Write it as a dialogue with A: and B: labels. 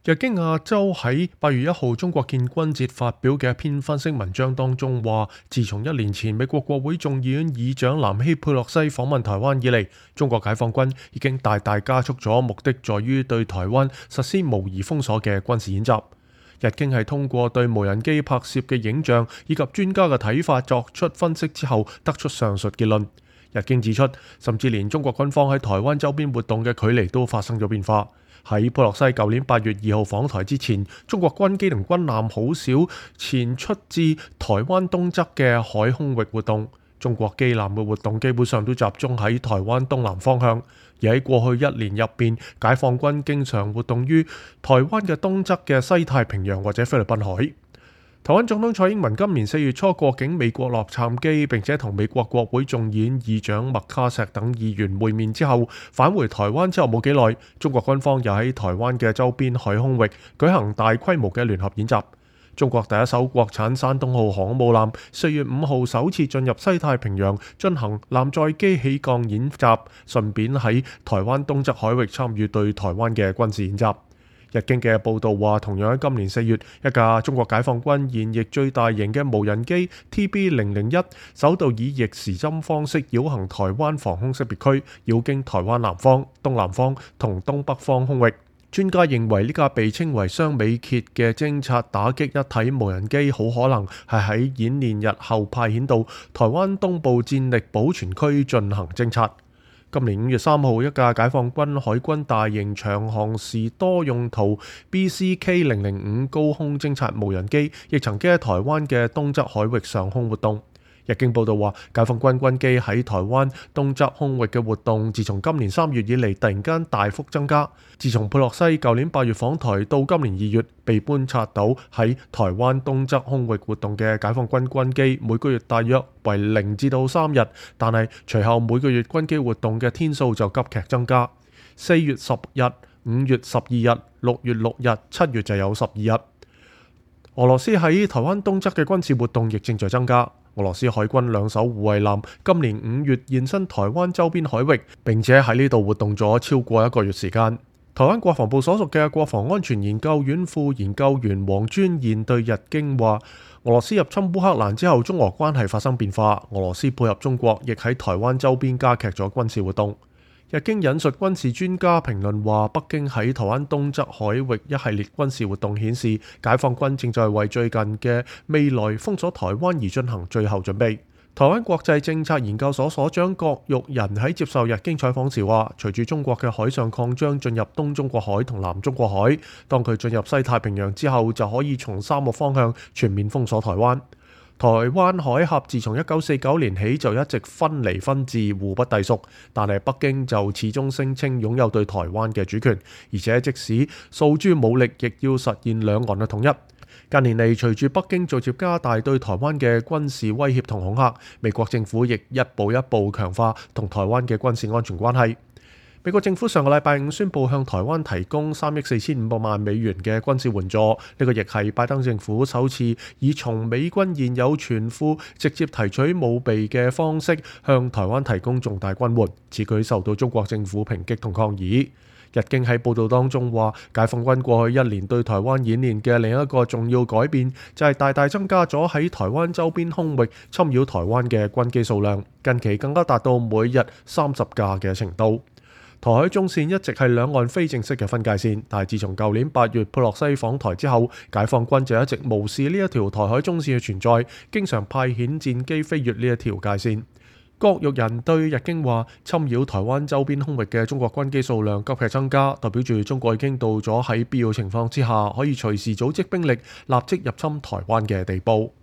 A: 日經亞洲喺8月1號中國建軍節發表嘅一篇分析文章當中話，自從1年前美國國會眾議院議長南希佩洛西訪問台灣以嚟，中國解放軍已經大大加速咗目的在於對台灣實施模擬封鎖嘅軍事演習。日經係通過對無人機拍攝嘅影像以及專家嘅睇法作出分析之後，得出上述結論。日經指出，甚至連中國軍方喺台灣周邊活動嘅距離都發生咗變化。喺佩洛西舊年8月2號訪台之前，中國軍機同軍艦好少前出至台灣東側嘅海空域活動，中國機艦嘅活動基本上都集中喺台灣東南方向。而喺過去1年入邊，解放軍經常活動於台灣嘅東側嘅西太平洋或者菲律賓海。台灣總統蔡英文今年4月初過境美國洛杉磯，並且同美國國會眾議院議長麥卡錫等議員會面之後，返回台灣之後冇幾耐，中國軍方又喺台灣嘅周邊海空域舉行大規模嘅聯合演習。中國第一艘國產山東號航母艦4月5號首次進入西太平洋進行艦載機起降演習，順便喺台灣東側海域參與對台灣嘅軍事演習。日經嘅報導話，同樣喺今年4月，一架中國解放軍現役最大型嘅無人機 TB001 首度以逆時針方式繞行台灣防空識別區，繞經台灣南方、東南方同東北方空域。專家認為呢架被稱為雙尾蠍嘅偵察打擊一體無人機，好可能係喺演練日後派遣到台灣東部戰力保存區進行偵察。今年5月3號，一架解放軍海軍大型長航時多用途 BCK005 高空偵察無人機，亦曾經喺台灣嘅東側海域上空活動。日經報導話，解放軍軍機喺台灣東側空域嘅活動，自從今年3月以嚟突然間大幅增加。自從佩洛西舊年8月訪台到今年2月，被觀察到喺台灣東側空域活動嘅解放軍軍機，每個月大約為0至3日，但係隨後每個月軍機活動嘅天數就急劇增加。4月10日、5月12日、6月6日、7月就有12日。俄羅斯喺台灣東側嘅軍事活動亦正在增加。俄羅斯海軍2艘護衛艦今年5月現身台灣周邊海域，並且喺呢度活動咗超過1個月時間。台灣國防部所屬嘅國防安全研究院副研究員黃尊賢對日經話，俄羅斯入侵烏克蘭之後，中俄關係發生變化，俄羅斯配合中國，亦喺台灣周邊加劇咗軍事活動。日經引述軍事專家評論話，北京喺台灣東側海域一系列軍事活動顯示，解放軍正在為最近嘅未來封鎖台灣而進行最後準備。台灣國際政策研究所所長郭玉仁喺接受日經採訪時話，隨住中國嘅海上擴張進入東中國海同南中國海，當佢進入西太平洋之後，就可以從3個方向全面封鎖台灣。台灣海峽自從1949年起就一直分離分治，互不隸屬，但係北京就始終聲稱擁有對台灣嘅主權，而且即使訴諸武力，亦要實現兩岸嘅統一。近年嚟，隨住北京逐漸加大對台灣嘅軍事威脅同恐嚇，美國政府亦一步一步強化同台灣嘅軍事安全關係。美國政府上個禮拜5宣布向台灣提供3億4500萬美元嘅軍事援助，呢個亦係拜登政府首次以從美軍現有存庫直接提取武備嘅方式向台灣提供重大軍援，此舉受到中國政府抨擊同抗議。日經喺報導當中話，解放軍過去1年對台灣演練嘅另一個重要改變，就係大大增加咗喺台灣周邊空域侵擾台灣嘅軍機數量，近期更加達到每日30架嘅程度。台海中線一直係兩岸非正式嘅分界線，但係自從舊年8月佩洛西訪台之後，解放軍就一直無視呢一條台海中線嘅存在，經常派遣戰機飛越呢一條界線。郭玉仁對日經話，侵擾台灣周邊空域嘅中國軍機數量急劇增加，代表住中國已經到咗喺必要情況之下可以隨時組織兵力立即入侵台灣嘅地步。